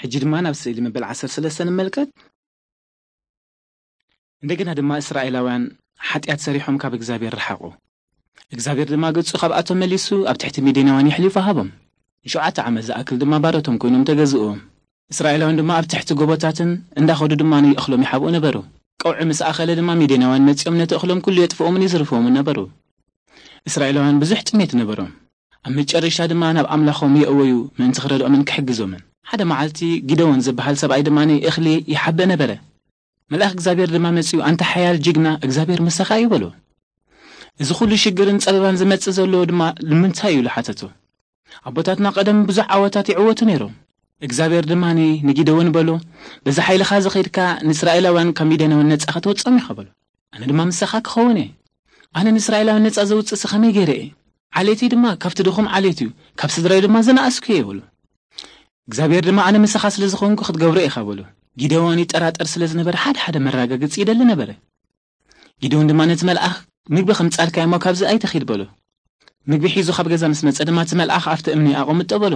ሕጂ ድማ ናብ ስእሊ መበል ዓሰርተ ሰለስተ ንመልከት። እንደገና ድማ እስራኤላውያን ሓጢኣት ሰሪሖም ካብ እግዚኣብሔር ረሓቑ። እግዚኣብሔር ድማ ገጹ ካብኣቶም መሊሱ ኣብ ትሕቲ ሚድያናውያን የሕሊፉ ሃቦም። ንሸውዓተ ዓመት ዝኣክል ድማ ባሮቶም ኮይኖም ተገዝእዎም። እስራኤላውያን ድማ ኣብ ትሕቲ ጎቦታትን እንዳኸዱ ድማ ንእኽሎም ይሓብኡ ነበሩ። ቀውዒ ምስ ኣኸለ ድማ ሚድያናውያን መጺኦም ነቲ እኽሎም ኩሉ የጥፍኦምን ይዝርፍዎምን ነበሩ። እስራኤላውያን ብዙሕ ጥሜት ነበሮም። ኣብ መጨረሻ ድማ ናብ ኣምላኾም የእወዩ ምእንቲ ክረድኦምን ክሕግዞምን። ሓደ መዓልቲ ጊደዎን ዝበሃል ሰብኣይ ድማ እኽሊ ይሓበ ነበረ። መልኣኽ እግዚኣብሔር ድማ መጺኡ፣ "ኣንታ ሓያል ጅግና፣ እግዚኣብሔር ምሳኻ እዩ" በሎ። "እዚ ኩሉ ሽግርን ጸበባን ዝመጽእ ዘሎ ድማ ንምንታይ እዩ?" ኢሉ ሓተቶ። ኣቦታትና ቀደም ብዙሕ ዓወታት ይዕወቱ ነይሮም። እግዚኣብሔር ድማ ንጊደዎን በሎ፣ "በዛ ሓይልኻ ዝኸድካ ንእስራኤላውያን ካብ ሚድያናውያን ነጻ ከተወጽኦም ኢኻ" በሎ። "ኣነ ድማ ምሳኻ ክኸውን እየ። ኣነ ንእስራኤላውያን ነጻ ዘውጽእ ከመይ ገይረ እየ? ዓሌተይ ድማ ካብቲ ድኹም ዓሌት እዩ፣ ካብ ስድራይ ድማ ዝነኣስኩ እየ" በሎ። እግዚኣብሔር ድማ "ኣነ ምሳኻ ስለ ዝኾንኩ ክትገብሮ ኢኻ" በሎ። ጊደዎን ይጠራጠር ስለ ዝነበረ ሓደ ሓደ መረጋገጺ ይደሊ ነበረ። ጊደዎን ድማ ነቲ መልኣኽ "ምግቢ ከምጻልካ እሞ ካብዚ ኣይትኺድ" በሎ። ምግቢ ሒዙ ካብ ገዛ ምስ መጸ ድማ እቲ መልኣኽ ኣብቲ እምኒ ኣቐምጦ በሎ።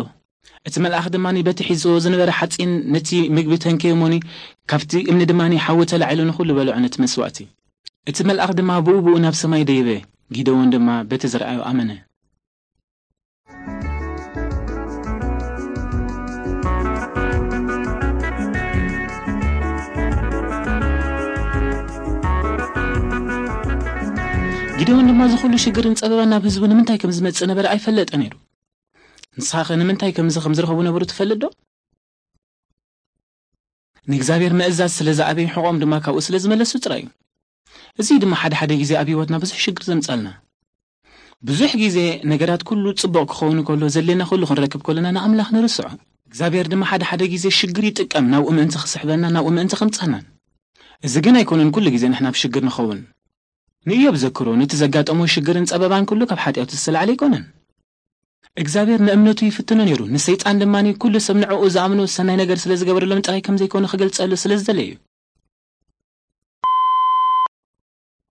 እቲ መልኣኽ ድማ በቲ ሒዝዎ ዝነበረ ሓጺን ነቲ ምግቢ ተንከየ እሞኒ፣ ካብቲ እምኒ ድማ ሓዊ ተላዒሉ ንኹሉ በልዖ ነቲ መስዋእቲ። እቲ መልኣኽ ድማ ብኡ ብኡ ናብ ሰማይ ደየበ። ጊደዎን ድማ በቲ ዝረኣዮ ኣመነ። ጊደዎን ድማ እዚ ኩሉ ሽግርን ጸበባን ናብ ህዝቡ ንምንታይ ከም ዝመጽእ ነበረ ኣይፈለጠ ነይሩ። ንስኻ ኸ ንምንታይ ከምዚ ከም ዝረኸቡ ነበሩ ትፈልጥ ዶ? ንእግዚኣብሔር ምእዛዝ ስለ ዝኣበዩ ሕቖም ድማ ካብኡ ስለ ዝመለሱ ጥራይ እዩ። እዚ ድማ ሓደ ሓደ ግዜ ኣብ ህይወትና ብዙሕ ሽግር ዘምጻልና። ብዙሕ ግዜ ነገራት ኩሉ ጽቡቕ ክኸውን ከሎ ዘድልየና ኩሉ ክንረክብ ከለና ንኣምላኽ ንርስዖ። እግዚኣብሔር ድማ ሓደ ሓደ ግዜ ሽግር ይጥቀም ናብኡ ምእንቲ ክስሕበና ናብኡ ምእንቲ ከምጻናን። እዚ ግን ኣይኮነን ኩሉ ግዜ ንሕና ኣብ ሽግር ንኸውን። ንእዮብ ዘክሮ ነቲ ዘጋጠሞ ሽግርን ጸበባን ኩሉ ካብ ሓጢኣቱ ዝተላዕለ ኣይኮነን። እግዚኣብሔር ንእምነቱ ይፍትኖ ነይሩ። ንሰይጣን ድማ ኩሉ ሰብ ንዕኡ ዝኣምኖ ሰናይ ነገር ስለ ዝገበረሎም ጥራይ ከም ዘይኮነ ክገልጸሉ ስለ ዝደለየ እዩ።